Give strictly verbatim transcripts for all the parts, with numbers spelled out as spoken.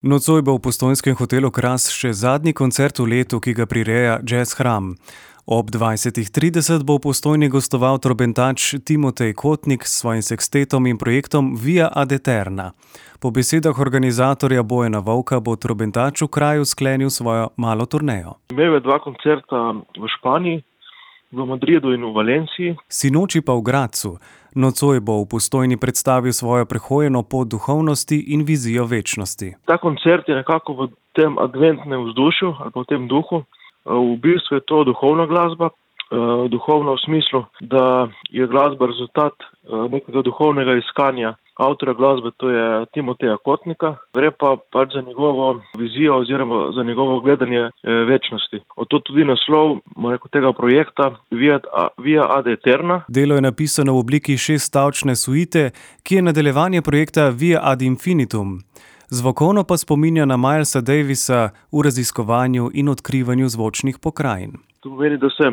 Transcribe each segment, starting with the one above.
Nocoj bo v postojnskem hotelu Kras še zadnji koncert v letu, ki ga prireja Jazz Hram. Ob dvajsetih trideset bo v Postojni gostoval trobentač Timotej Kotnik s svojim sekstetom in projektom Via ad Aeterna. Po besedah organizatorja Bojana Vovka bo trobentač v kraju sklenil svojo malo turnejo. Imel je dva koncerta v Španiji, v Madridu in v Valenciji. Sinoči pa v Gradcu. Nocoj bo v Postojni predstavil svojo prehojeno pot duhovnosti in vizijo večnosti. Ta koncert je nekako v tem adventnem vzdušju ali pa v tem duhu. V bistvu je to duhovna glasba, duhovna v smislu, da je glasba rezultat nekega duhovnega iskanja avtorja glasbe, to je Timoteja Kotnika. Gre pa pač za njegovo vizijo oziroma za njegovo gledanje večnosti. Oto tudi naslov tega projekta Via, Via ad Aeterna. Delo je napisano v obliki šeststavčne suite, ki je nadaljevanje projekta Via ad Infinitum. Zvokovno pa spominja na Milesa Davisa v raziskovanju in odkrivanju zvočnih pokrajin. To pomeni, da se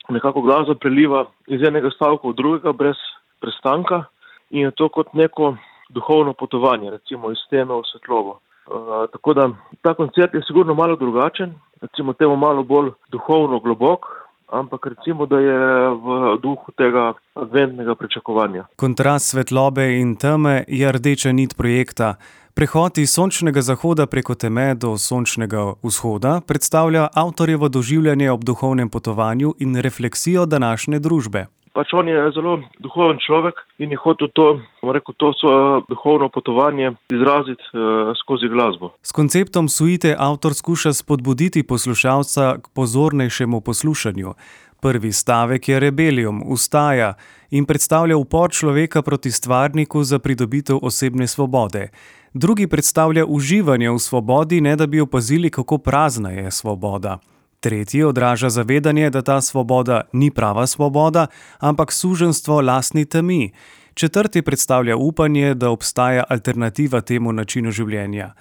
nekako glasba preliva iz enega stavka v drugega brez prestanka in je to kot neko duhovno potovanje, recimo iz teme v svetlobo. Uh, tako da ta koncert je sigurno malo drugačen, recimo temu malo bolj duhovno globok, ampak recimo, da je v duhu tega adventnega pričakovanja. Kontrast svetlobe in teme je rdeča nit projekta. Prehod iz sončnega zahoda preko teme do sončnega vzhoda predstavlja avtorjevo doživljanje ob duhovnem potovanju in refleksijo današnje družbe. Pač on je zelo duhoven človek in je hotel to, rekel, to svoje duhovno potovanje izraziti uh, skozi glasbo. S konceptom suite avtor skuša spodbuditi poslušalca k pozornejšemu poslušanju. Prvi stavek je rebelium, vstaja in predstavlja upor človeka proti stvarniku za pridobitev osebne svobode. Drugi predstavlja uživanje v svobodi, ne da bi opazili, kako prazna je svoboda. Tretji odraža zavedanje, da ta svoboda ni prava svoboda, ampak suženjstvo lastni temi. Četrti predstavlja upanje, da obstaja alternativa temu načinu življenja.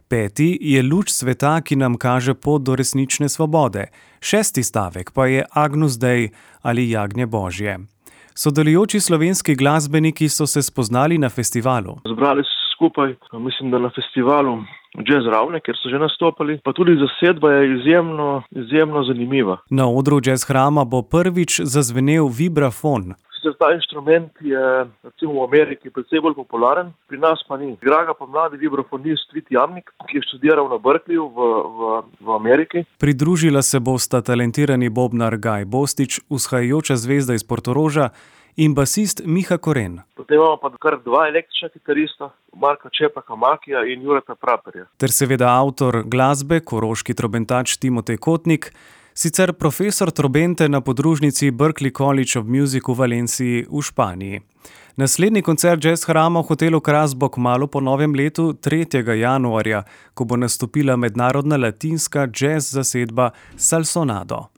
Peti je luč sveta, ki nam kaže pot do resnične svobode. Šesti stavek pa je Agnus Dei ali Jagnje Božje. Sodelujoči slovenski glasbeniki so se spoznali na festivalu. Zbrali so skupaj, mislim, da na festivalu Jazz Ravne, kjer so že nastopali, pa tudi zasedba je izjemno, izjemno zanimiva. Na odru Jazz Hrama bo prvič zazvenel vibrafon. Sicer ta inštrument je recimo v Ameriki precej bolj popularen, pri nas pa ni. Igra ga pa mladi vibrafonist Vit Jamnik, ki je študiral na Berkeleyju v, v, v Ameriki. Pridružila se bosta talentirani bobnar Gaj Bostič, vzhajajoča zvezda iz Portoroža, in basist Miha Koren. Potem imamo pa kar dva električna kitarista, Marka Čepaka Makija in Jureta Praperja. Ter seveda avtor glasbe, koroški trobentač Timotej Kotnik, sicer profesor trobente na podružnici Berklee College of Music v Valenciji v Španiji. Naslednji koncert Jazz Hrama v hotelu Kras bo kmalu po novem letu tretjega januarja, ko bo nastopila mednarodna latinska jazz zasedba Salsonado.